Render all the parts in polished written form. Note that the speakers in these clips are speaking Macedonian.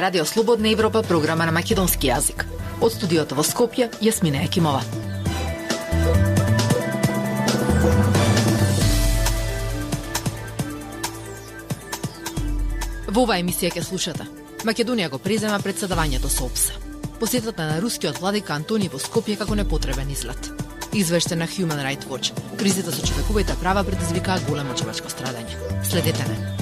Радио Слободна Европа, програма на македонски јазик. Од студиото во Скопје, Јасмина Екимова. Во оваа емисија ќе слушате. Македонија го презема претседавањето со ОПСЕ. Посетата на рускиот владика Антони во Скопје како непотребен излет. Извештај на Human Rights Watch. Кризата со човековите права предизвикаа големо човечко страдање. Следете не.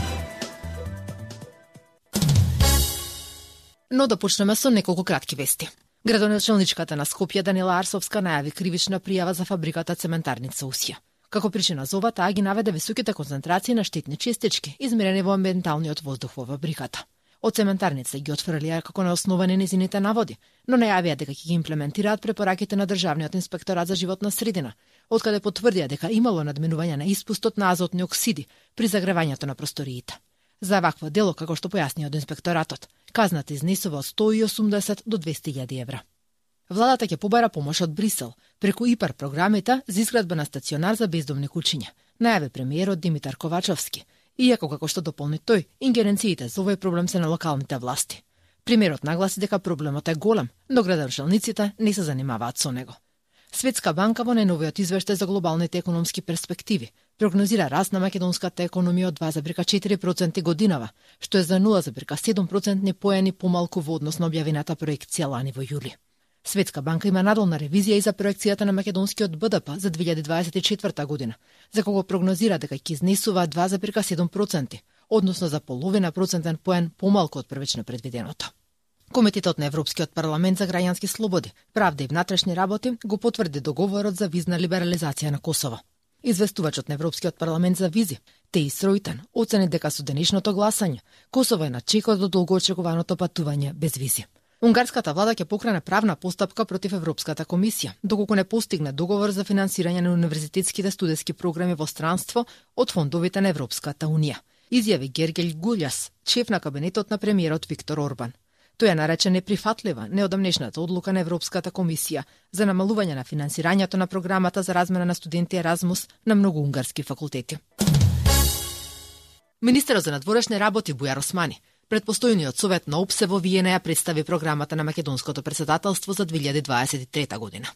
Но да почнеме со неколку кратки вести. Градоначелничката на Скопје Данила Арсовска најави кривична пријава за фабриката цементарница Усија. Како причина за ова, таа ги наведе високите концентрации на штетни честички, измерени во амбиенталниот воздух во фабриката. Од цементарница ги отфрлија како неосновани незините наводи, но најавија дека ќе ги имплементираат препораките на Државниот инспекторат за животна средина, откаде потврдија дека имало надминување на испустот на азотни оксиди при загревањето на просториите. За вакво дело, како што појасни од инспекторатот, казната изнесува од 180 до 200.000 евра. Владата ќе побара помош од Брисел преку ИПАР програмите за изградба на стационар за бездомни кучиња, најави премиерот Димитар Ковачовски, иако како што дополни тој, ингеренциите за овој проблем се на локалните власти. Премиерот нагласи дека проблемот е голем, но градоначелниците не се занимаваат со него. Светска банка во најновиот извештај за глобалните економски перспективи прогнозира раст на македонската економија од 2,4% годинава, што е за 0,7% поени помалку во однос на објавената проекција лани во јули. Светска банка има надолна ревизија и за проекцијата на македонскиот БДП за 2024 година, за кого прогнозира дека ќе изнесува 2,7%, односно за половина процентен поен помалку од првично предвиденото. Комитетот на Европскиот парламент за граѓански слободи, правда и внатрешни работи го потврди договорот за визна либерализација на Косово. Известувачот на Европскиот парламент за визи, Теис Ройтен, оцени дека со денешното гласање Косово е на чекот до долгоочекуваното патување без визи. Унгарската влада ќе покрене правна постапка против Европската комисија, доколку не постигне договор за финансирање на универзитетските студентски програми во странство од фондовите на Европската унија, изјави Гергел Гулјас, шеф на кабинетот на премиерот Виктор Орбан. Тој ја нарече неприфатлива неодамнешната одлука на Европската комисија за намалување на финансирањето на програмата за размена на студенти Еразмус на многу унгарски факултети. Министерот за надворешни работи Бујар Османи пред постојниот совет на ОПСЕ во Виена ја представи програмата на македонското претседателство за 2023 година.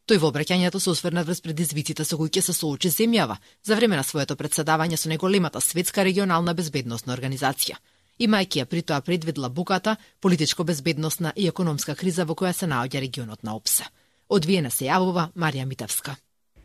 Тој во обраќањето се осврна врз предизвиците со кои ќе се соочи земјава за време на своето претседавање со најголемата светска регионална безбедносна организација. Имајќи ја при тоа предвид длабоката политичко-безбедносна и економска криза во која се наоѓа регионот на ОПСЕ. Од Виена се јавува Марија Митевска.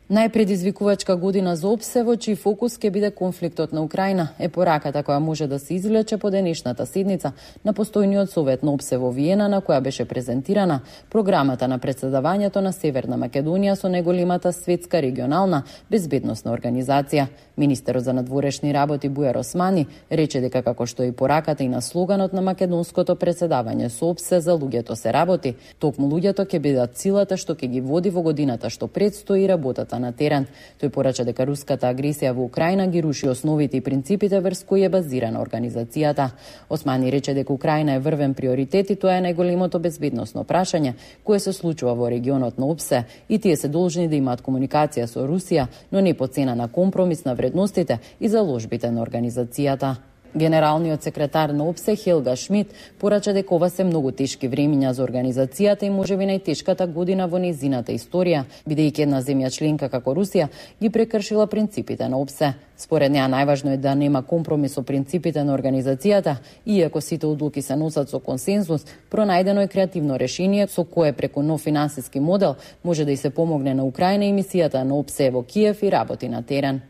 Најпредизвикувачка година за ОПСЕ, во чиј фокус ќе биде конфликтот на Украина, е пораката која може да се извлече по денешната седница на постојниот совет на ОПСЕ во Виена, на која беше презентирана програмата на претседавањето на Северна Македонија со најголемата светска регионална безбедносна организација. Министерот за надворешни работи Бујар Османи рече дека како што и пораката и на слоганот на македонското претседавање со ОПСЕ за луѓето се работи, токму луѓето ќе бидат силата што ќе ги води во годината што предстои работата на терен. Тој порача дека руската агресија во Украина ги руши основите и принципите врз кои е базирана организацијата. Османи рече дека Украина е врвен приоритет и тоа е најголемото безбедносно прашање кое се случува во регионот на ОПСЕ и тие се должни да имаат комуникација со Русија, но не по цена на компромис на вредностите и заложбите на организацијата. Генералниот секретар на ОПСЕ Хелга Шмид порача дека ова се многу тешки времиња за организацијата и можеби најтешката година во нејзината историја, бидејќи една земја членка како Русија ги прекршила принципите на ОПСЕ. Според неа најважно е да нема компромис со принципите на организацијата, иако сите одлуки се носат со консензус, пронајдено е креативно решение со кое преку нов финансиски модел може да и се помогне на Украина и мисијата на ОПСЕ во Киев и работи на терен.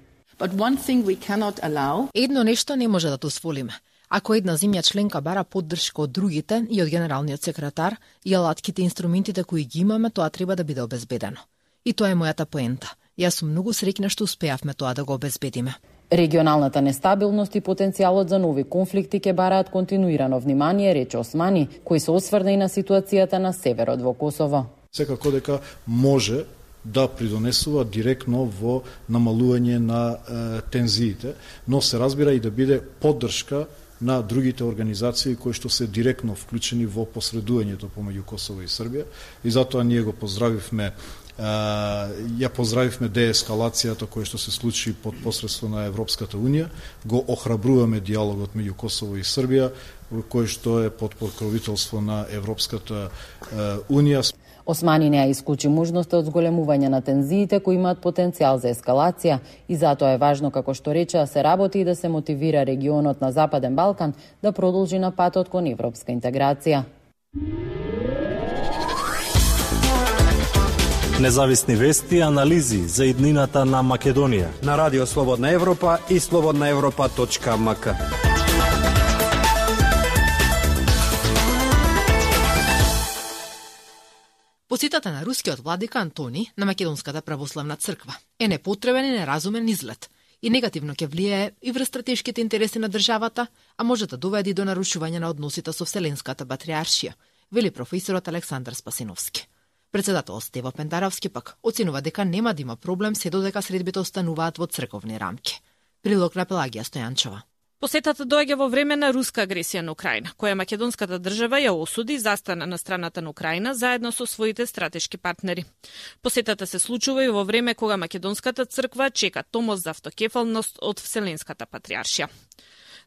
Едно нешто не може да дозволиме. Ако една земја членка бара поддршка од другите и од генералниот секретар и алатките и инструментите кои ги имаме, тоа треба да биде обезбедено. И тоа е мојата поента. Јас сум многу среќна што успеавме тоа да го обезбедиме. Регионалната нестабилност и потенцијалот за нови конфликти ќе бараат континуирано внимание, рече Османи, кој се осврна и на ситуацијата на северот во Косово. Секако дека може да придонесува директно во намалување на тензиите, но се разбира и да биде поддршка на другите организации кои што се директно вклучени во посредувањето помеѓу Косово и Србија, и затоа ние го поздравивме Ја поздравивме деескалацијата која што се случи под посредство на Европската унија, го охрабруваме диалогот меѓу Косово и Србија, кој што е под покровителство на Европската унија. Османи не ја исклучи можноста од зголемување на тензиите кои имаат потенцијал за ескалација и затоа е важно, како што рече, да се работи и да се мотивира регионот на Западен Балкан да продолжи на патот кон европска интеграција. Независни вести и анализи за иднината на Македонија на Радио Слободна Европа и slobodnaevropa.mk. Посетата на рускиот владика Антони на Македонската православна црква е непотребен и неразумен излет и негативно ќе влијае и врз стратешките интереси на државата, а може да доведе до нарушување на односите со Вселенската патриаршија, вели професорот Александар Спасиновски. Председател Стево Пендаровски пак оценува дека нема да има проблем се додека средбите остануваат во црковни рамки. Прилог на Пелагија Стојанчова. Посетата доаѓа во време на руска агресија на Украина, која македонската држава ја осуди и застана на страната на Украина заедно со своите стратешки партнери. Посетата се случува и во време кога македонската црква чека томос за автокефалност од Вселенската патриаршија.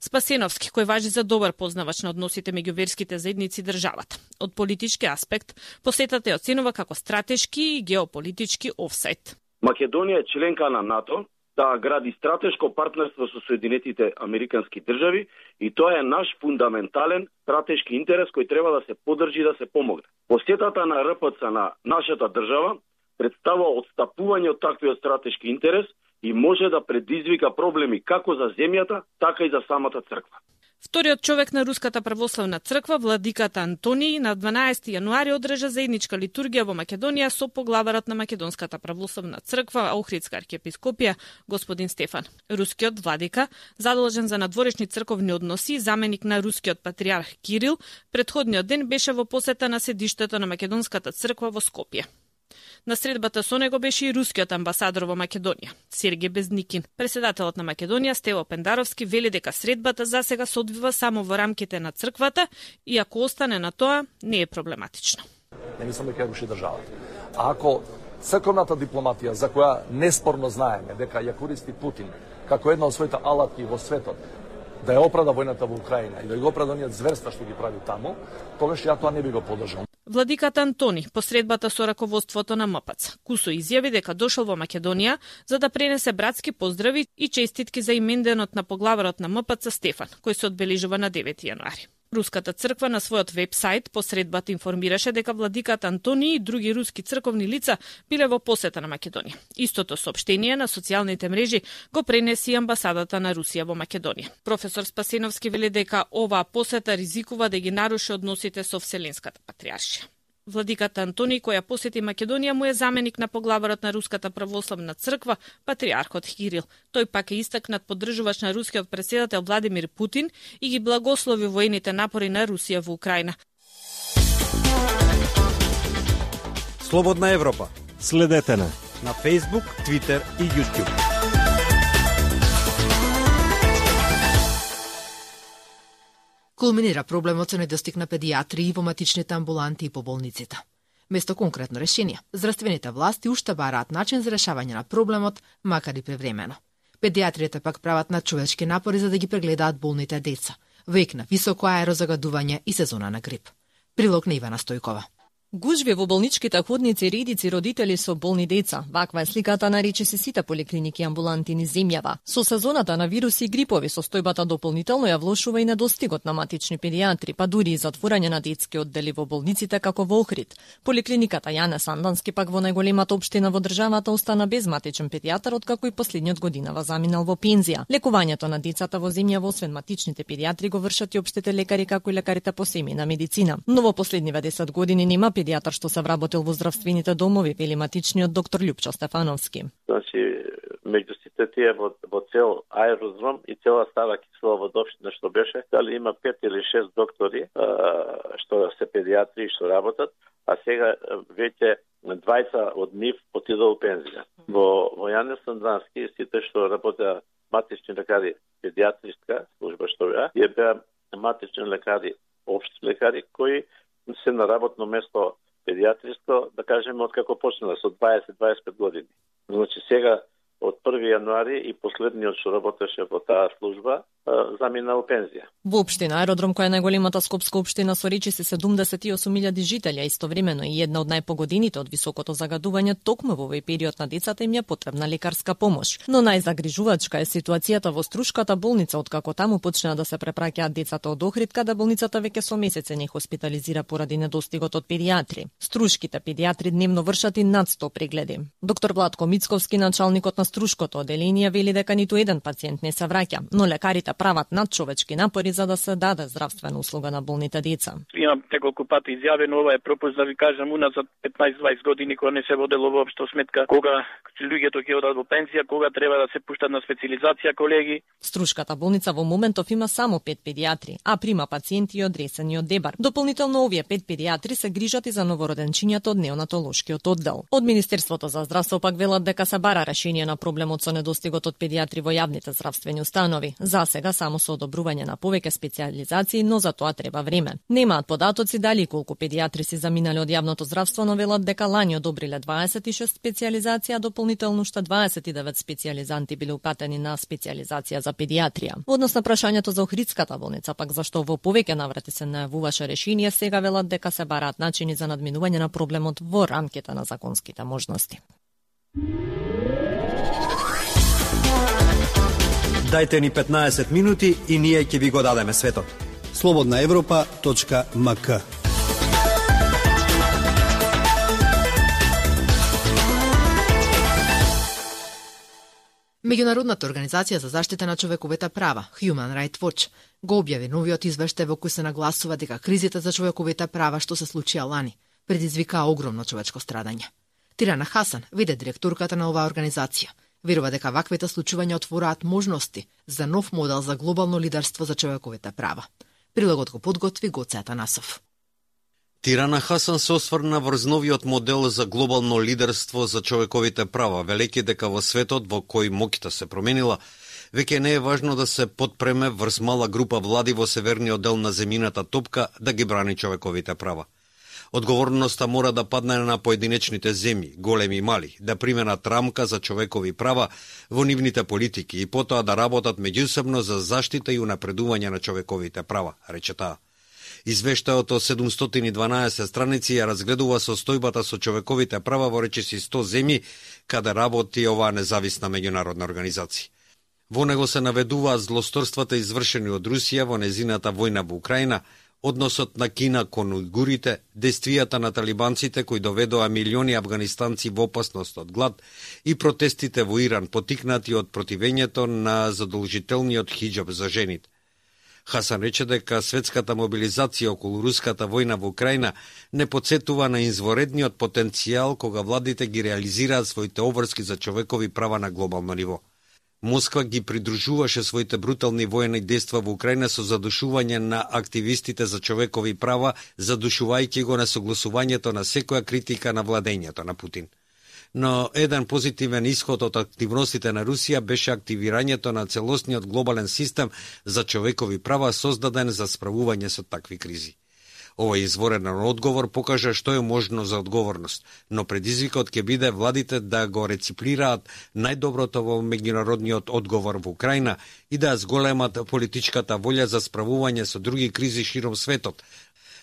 Спасеновски, кој важи за добар познавач на односите меѓу верските заедници државата. Од политички аспект, посетата ја оценува како стратешки и геополитички офсайд. Македонија е членка на НАТО, да гради стратешко партнерство со Соединетите Американски држави и тоа е наш фундаментален стратешки интерес кој треба да се поддржи и да се помогне. Посетата на РПЦ на нашата држава представува отстапување од таквиот стратешки интерес и може да предизвика проблеми како за земјата, така и за самата црква. Вториот човек на Руската православна црква, владиката Антони, на 12 јануари одржа заедничка литургија во Македонија со поглаварот на Македонската православна црква, Охридска архиепископија, господин Стефан. Рускиот владика, задолжен за надворешни црковни односи, заменик на рускиот патриарх Кирил, претходниот ден беше во посета на седиштето на Македонската црква во Скопје. На средбата со него беше и рускиот амбасадор во Македонија, Сергеј Безникин. Председателот на Македонија, Стево Пендаровски, вели дека средбата засега се одвива само во рамките на црквата и ако остане на тоа, не е проблематично. Не мислам дека руши државата. А ако црковната дипломатија, за која неспорно знаеме дека ја користи Путин како една од своите алатки во светот, да ја оправда војната во Украина и да го оправда оние зверства што ги прави таму, тогаш ја тоа не би го поддржал. Владиката Антони, посредбата со раководството на МПЦ, кусо изјави дека дошол во Македонија за да пренесе братски поздрави и честитки за именденот на поглаварот на МПЦ Стефан, кој се одбележува на 9 јануари. Руската црква на својот веб-сайт посредбата информираше дека владиката Антони и други руски црковни лица биле во посета на Македонија. Истото соопштение на социјалните мрежи го пренеси амбасадата на Русија во Македонија. Професор Спасиновски вели дека оваа посета ризикува да ги наруши односите со Вселенската патриаршија. Владиката Антони, која посети Македонија, му е заменик на поглаварот на Руската православна црква, патриархот Кирил. Тој пак е истакнат поддржувач на рускиот претседател Владимир Путин и ги благослови воените напори на Русија во Украина. Слободна Европа. Следете на Facebook, Twitter и YouTube. Кулминира проблемот со недостиг на педијатри во матичните амбуланти и по болниците. Место конкретно решение, здравствените власти уште бараат начин за решавање на проблемот, макар и превремено. Педијатриите пак прават надчовечки напори за да ги прегледаат болните деца, век на високо аерозагадување и сезона на грип. Прилог на Ивана Стојкова. Гужви во болничките ходници и редици родители со болни деца. Ваква е сликата на речиси сите поликлиники и амбуланти низ земјава. Со сезоната на вируси и грипови состојбата дополнително ја влошува и недостигот на матични педијатри, па дури и затворање на детски оддели во болниците како во Охрид. Поликлиниката Јане Сандански пак во најголемата општина во државата остана без матичен педијатар откако и последниот годинава заминал во пензија. Лекувањето на децата во земјава освен матичните педијатри го вршат и општите лекари како и лекарите по семејна медицина. Но во последниве 10 години нема педијатар што се вработил во здравствените домови, вели матичниот доктор Љупчо Стефановски. Значи, меѓу сите тие во цел аеродром и цела Стара Киселоводопштина што беше, дали има 5 или 6 доктори што се педијатри што работат, а сега веќе 20 од нив отидоа во пензија. Во Јане Сандански сите што работеа матични лекари, педијатриска служба што беа матични лекари, општи лекари кои се на работно место педиатриство, да кажеме, од како почнала, со 20-25 години. Значи, сега, од 1 јануари и последниот што работеше во таа служба, замина во пензија. Во општина Аеродром, која е најголемата скопска општина со речиси 78.000 жители, а истовремено и една од најпогодените од високото загадување, токму во овој период на децата им е потребна лекарска помош. Но најзагрижувачка е ситуацијата во Струшката болница, откако таму почнаа да се препраќаат децата од Охрид, каде болницата веќе со месеци не хоспитализира поради недостигот од педиатри. Струшките педиатри дневно вршат и над 100 прегледи. Доктор Владко Мицковски, началникот на Струшкото оделение, вели дека ниту еден пациент не се враќа, но лекарите прават надчовечки напори за да се даде здравствена услуга на болните деца. Имам неколку пати изјавено, ова е пропуст да ви кажам уназад 15-20 години кога не се водело воопшто сметка кога луѓето ќе одат во пензија, кога треба да се пуштат на специализација колеги. Струшката болница во моментов има само 5 педиатри, а прима пациенти од Ресен и од Дебар. Дополнително овие 5 педиатри се грижат и за новороденчињата од неонатолошкиот оддел. Од Министерството за здравство пак велат дека се бара решение на проблемот со недостигот од педиатри во јавните здравствени установи. За сега само со одобрување на повеќе специализации, но за тоа треба време. Немаат податоци дали колку педиатри си заминали од јавното здравство, но велат дека лани одобриле 26 специализација, дополнително уште 29 специализанти биле упатени на специализација за педиатрија. Однос на прашањето за Охридската болница, пак зашто во повеќе наврати се најавуваше решение, сега велат дека се бараат начини за надминување на проблемот во рамките на законските можности. Дајте ни 15 минути и ние ќе ви го дадеме светот. slobodnaevropa.mk. Меѓународната организација за заштита на човековите права, Human Rights Watch, го објави новиот извештај во кој се нагласува дека кризата за човековите права што се случија лани предизвикаа огромно човечко страдање. Тирана Хасан, виде директорката на оваа организација, верува дека ваквите случувања отвораат можности за нов модел за глобално лидерство за човековите права. Прилогот го подготви Гоце Атанасов. Тирана Хасан се осврна врз новиот модел за глобално лидерство за човековите права, велејќи дека во светот во кој моќта се променила, веќе не е важно да се подпреме врз мала група влади во северниот дел на земјината топка да ги брани човековите права. Одговорноста мора да падне на поединечните земји, големи и мали, да применат рамка за човекови права во нивните политики и потоа да работат меѓусебно за заштита и унапредување на човековите права, рече таа. Извештајот од 712 страници ја разгледува состојбата со човековите права во речиси 100 земји, каде работи оваа независна меѓународна организација. Во него се наведуваат злосторствата извршени од Русија во незината војна во Украина, односот на Кина кон ујгурите, действијата на талибанците кои доведоа милиони афганистанци во опасност од глад и протестите во Иран потикнати од противењето на задолжителниот хиџаб за жените. Хасан рече дека светската мобилизација околу руската војна во Украина не подсетува на изворедниот потенцијал кога владите ги реализираат своите обврски за човекови права на глобално ниво. Москва ги придружуваше своите брутални воени дејства во Украина со задушување на активистите за човекови права, задушувајќи го на согласувањето на секоја критика на владењето на Путин. Но еден позитивен исход од активностите на Русија беше активирањето на целосниот глобален систем за човекови права создаден за справување со такви кризи. Овој изворен одговор покажа што е можно за одговорност, но предизвикот ќе биде владите да го рециплираат најдоброто во меѓународниот одговор во Украина и да зголемат политичката волја за справување со други кризи широм светот.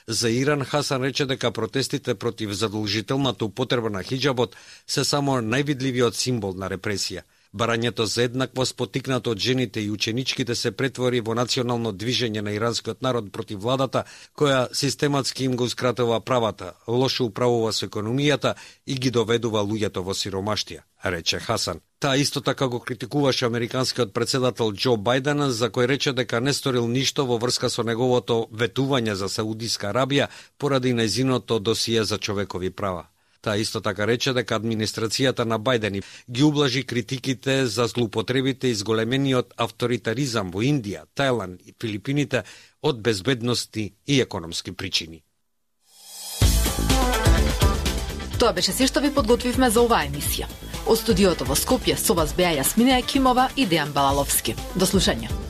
За Иран Хасан рече дека протестите против задолжителната употреба на хиџабот се само највидливиот символ на репресија. Барањето за еднаквост потикнато од жените и ученичките се претвори во национално движење на иранскиот народ против владата, која систематски им гоускратува правата, лошо управува со економијата и ги доведува луѓето во сиромаштија, рече Хасан. Таа исто така го критикуваше американскиот председател Џо Бајден, за кој рече дека не сторил ништо во врска со неговото ветување за Саудиска Арабија поради нејзиното досие за човекови права. Таа исто така рече дека администрацијата на Бајден ги ублажи критиките за злоупотребите и зголемениот авторитаризам во Индија, Тајланд и Филипините од безбедности и економски причини. Тоа беше се што ви подготвивме за оваа емисија. Од студиото во Скопје со вас беа Јасмина Екимова и Дејан Балаловски. До слушање.